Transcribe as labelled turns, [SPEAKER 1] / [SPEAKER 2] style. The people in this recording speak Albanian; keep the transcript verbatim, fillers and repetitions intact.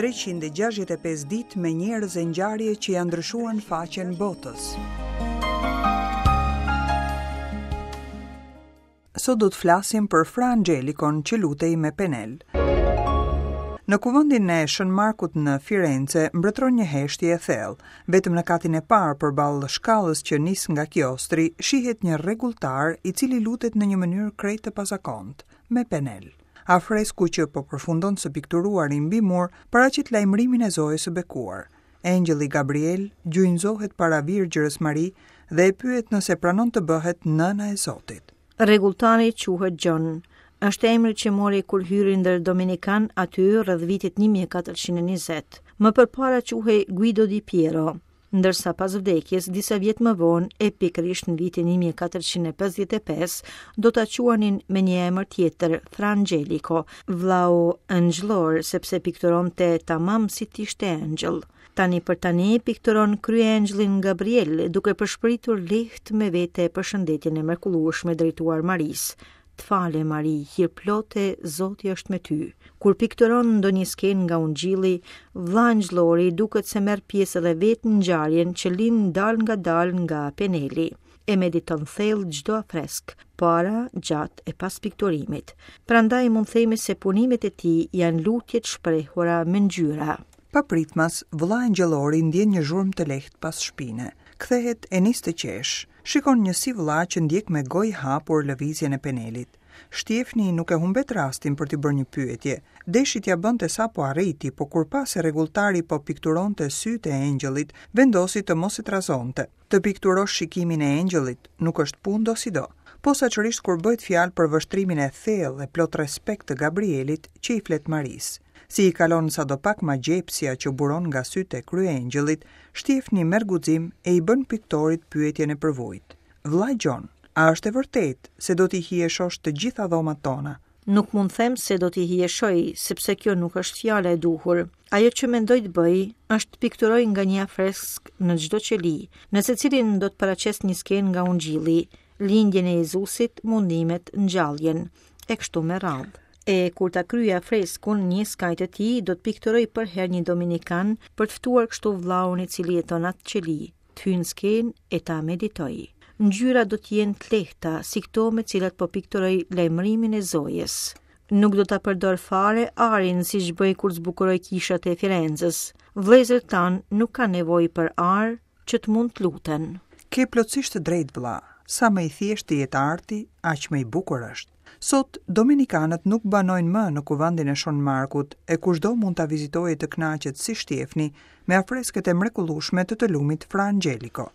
[SPEAKER 1] treqind e gjashtëdhjetë e pesë ditë me njerëz e ngjarje që ja ndryshuan faqen botës. Sot do të flasim për Fra Angelikon që lutej me penel. Në kuvendin e Shën Markut në Firenze mbretëron një heshtje e thellë. Vetëm në katin e parë përballë shkallës që nis nga kiostri, shihet një rregulltar i cili lutet në një mënyrë krejt të pazakontë, me penel. Afresku që po përfundon së pikturuari mbi mur paraqet lajmërimin e Zojës së Bekuar. Engjëlli Gabriel gjunjëzohet para Virgjërës Mari dhe e pyet nëse pranon të bëhet nëna e Zotit.
[SPEAKER 2] Rregulltari quhet Gjon. Është emri që mori kur hyri ndër Dominikan aty rreth vitit një mijë e katërqind e njëzet. Më përpara quhej Guido di Piero, ndërsa pas vdekjes disa vjet më vonë, e pikërisht në vitin një mijë e katërqind e pesëdhjetë e pesë, do ta quanin me një emër tjetër, Fra Angelico, vllau engjëllor, sepse pikturonte tamam si t'ishte engjëll. Tani për tani pikturon kryengjëllin Gabriel, duke përshpëritur lehtë me vete përshëndetjen e mrekullueshme drejtuar Marisë. Të fale, Mari, hirplote, Zoti është me ty. Kur pikturon ndonjë skenë nga Ungjilli, vlla engjëllori duket se merr pjesë edhe vetë në ngjarjen që lind dal nga dal nga peneli. E mediton thellë çdo afresk, para, gjatë e pas pikturimit. Prandaj mund themi se punimet e tij janë lutje të shprehura me ngjyra.
[SPEAKER 1] Papritmas, vëlla engjëllori ndjen një zhurmë të lehtë pas shpine. Kthehet e nis të qesh. Shikon një si vëlla që ndjek me gojë hapur lëvizjen e penelit. Shtjefni nuk e humbet rastin për t'i bërë një pyetje. Deshi t'ia bënte sapo arriti, po kur pa se rregulltari po pikturonte sytë e engjëllit, vendosi të mos e trazonte. Të pikturosh shikimin e engjëllit nuk është punë dosido, posaçërisht kur bëhet fjalë për vështrimin e thellë e plot respekt të Gabrielit që i flet Marisë. Si i kalon sadopak magjepsja që buron nga sytë e kryengjëllit, Shtjefni merr guxim e i bën piktorit pyetjen e përvujt. Vlla Gjon, a është e vërtetë se do t'i hijeshosh të gjitha dhomat tona?
[SPEAKER 2] Nuk mund them se do t'i hijeshoj, sepse kjo nuk është fjala e duhur. Ajo që mendoj të bëj është të pikturoj nga një afresk në çdo qeli, në secilin do të paraqes një skenë nga Ungjilli, lindjen e Jezusit, mundimet, ngjalljen, e kështu me radhë. E kur ta kryej afreskun një skaj të tij, do të pikturoj për herë një dominikan për të ftuar kështu vllaun i cili jeton atë qeli, të hyjë në skenë e ta meditoj. Ngjyrat do të jenë të lehta, si këto me cilat po pikturoj lajmërimin e Zojës. Nuk do ta përdor fare arin siç bëj kur zbukuroj kishat e Firenzës. Vëllezërit tanë nuk kanë nevojë për ar që të mund të luten.
[SPEAKER 1] Ke plotësisht të drejtë, vëlla. Sa më i thjeshtë të jetë arti, aq më i bukur është. Sot, dominikanët nuk banojnë më në kuvendin e Shën Markut, e kushdo mund ta vizitojë të kënaqet si Shtjefni me afresket e mrekullueshme të të lumit Fra Angelico.